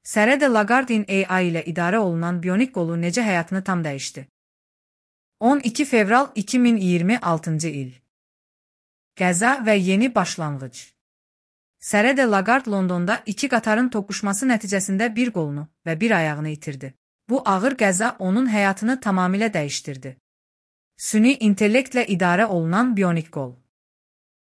Sarah de Lagarde AI ilə idarə olunan bionik qolu necə həyatını tam dəyişdi? 12 fevral 2026-cı il. Qəza və yeni başlanğıc. Sarah de Lagarde Londonda iki qatarın toqquşması nəticəsində bir qolunu və bir ayağını itirdi. Bu ağır qəza onun həyatını tamamilə dəyişdirdi. Süni intellektlə idarə olunan bionik qol.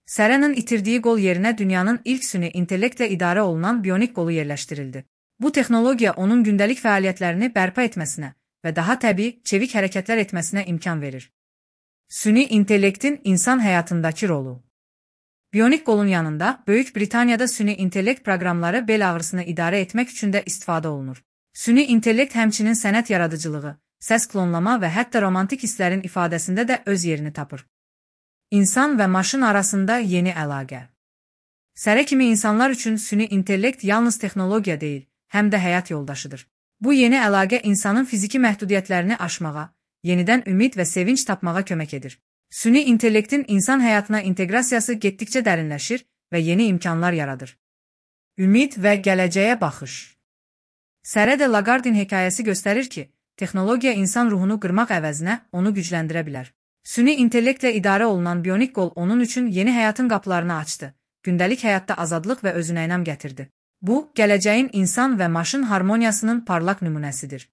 Sarah'nın itirdiyi qol yerinə dünyanın ilk süni intellektlə idarə olunan bionik qolu yerləşdirildi. Bu texnologiya onun gündəlik fəaliyyətlərini bərpa etməsinə və daha təbii, çevik hərəkətlər etməsinə imkan verir. Süni intellektin insan həyatındakı rolu. Bionik qolun yanında Böyük Britaniyada süni intellekt proqramları bel ağrısını idarə etmək üçün də istifadə olunur. Süni intellekt həmçinin sənət yaradıcılığı, səs klonlama və hətta romantik hisslərin ifadəsində də öz yerini tapır. İnsan və maşın arasında yeni əlaqə. Sarah kimi insanlar üçün süni intellekt yalnız texnologiya deyil, həm də həyat yoldaşıdır. Bu yeni əlaqə insanın fiziki məhdudiyyətlərini aşmağa, yenidən ümid və sevinç tapmağa kömək edir. Süni intellektin insan həyatına inteqrasiyası getdikcə dərinləşir və yeni imkanlar yaradır. Ümid və gələcəyə baxış. Sarah de Lagarde'in hekayəsi göstərir ki, texnologiya insan ruhunu qırmaq əvəzinə onu gücləndirə bilər. Süni intellektlə idarə olunan bionik qol onun üçün yeni həyatın qapılarını açdı, gündəlik həyatda azadlıq və özünəynam gətirdi. Bu, gələcəyin insan və maşın harmoniyasının parlaq nümunəsidir.